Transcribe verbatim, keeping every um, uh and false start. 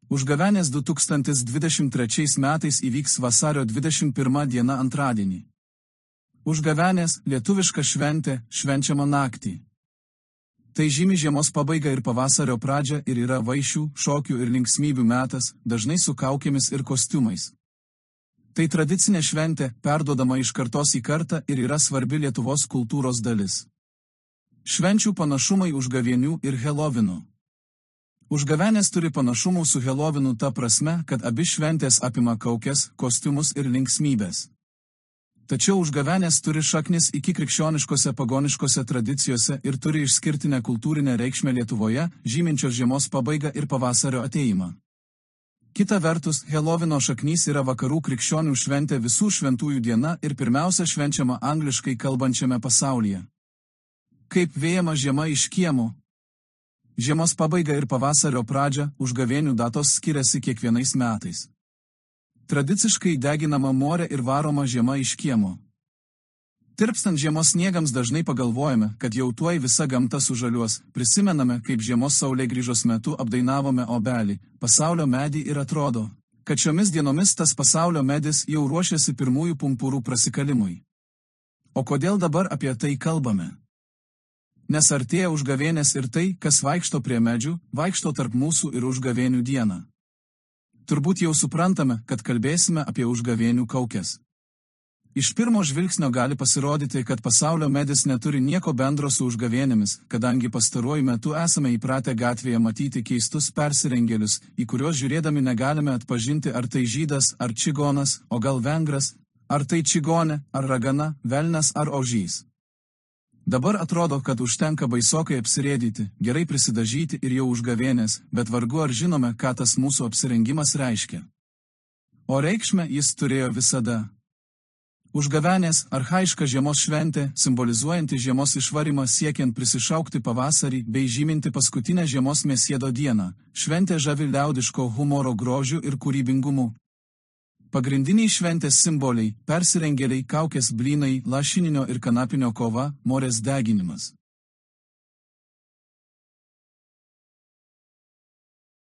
Užgavėnės du tūkstantis dvidešimt trečiais metais įvyks vasario dvidešimt pirmą dieną antradienį. Užgavėnės lietuviška šventė švenčiama naktį. Tai žymi žiemos pabaigą ir pavasario pradžią ir yra vaišių, šokių ir linksmybių metas, dažnai su kaukėmis ir kostiumais. Tai tradicinė šventė, perduodama iš kartos į kartą ir yra svarbi Lietuvos kultūros dalis. Švenčių panašumai užgavėnių ir Helovinu. Užgavėnės turi panašumų su Helovinu ta prasme, kad abi šventės apima kaukes, kostiumus ir linksmybės. Tačiau užgavėnės turi šaknis iki krikščioniškose pagoniškose tradicijose ir turi išskirtinę kultūrinę reikšmę Lietuvoje, žyminčios žiemos pabaigą ir pavasario atėjimą. Kita vertus, Helovino šaknys yra vakarų krikščionių šventė visų šventųjų diena ir pirmiausia švenčiama angliškai kalbančiame pasaulyje. Kaip vėjama žiema iš kiemo. Žiemos pabaiga ir pavasario pradžia, užgavėnių datos skiriasi kiekvienais metais. Tradiciškai deginama morė ir varoma žiema iš kiemo. Tirpstant žiemos sniegams dažnai pagalvojame, kad jau tuoj visa gamta sužaliuos, prisimename, kaip žiemos saulėgrįžos metu apdainavome obelį, pasaulio medį ir atrodo, kad šiomis dienomis tas pasaulio medis jau ruošiasi pirmųjų pumpurų prasikalimui. O kodėl dabar apie tai kalbame? Nes artėja užgavėnės ir tai, kas vaikšto prie medžių, vaikšto tarp mūsų ir užgavėnių dieną. Turbūt jau suprantame, kad kalbėsime apie užgavėnių kaukes. Iš pirmo žvilgsnio gali pasirodyti, kad pasaulio medis neturi nieko bendro su užgavėnėmis, kadangi pastaruoju metu esame įpratę gatvėje matyti keistus persirengėlius, į kuriuos žiūrėdami negalime atpažinti, ar tai žydas, ar čigonas, o gal vengras, ar tai čigonė, ar ragana, velnias ar ožys. Dabar atrodo, kad užtenka baisokai apsirėdyti, gerai prisidažyti ir jau užgavėnės, bet vargu ar žinome, ką tas mūsų apsirengimas reiškia. O reikšmę jis turėjo visada. Užgavėnės – archaiška žiemos šventė, simbolizuojanti žiemos išvarimą siekiant prisišaukti pavasarį bei žyminti paskutinę žiemos mėsiedo dieną. Šventė žavi liaudiško humoro grožiu ir kūrybingumu. Pagrindiniai šventės simboliai – persirengėliai, kaukės, blynai, lašininio ir kanapinio kova, morės deginimas.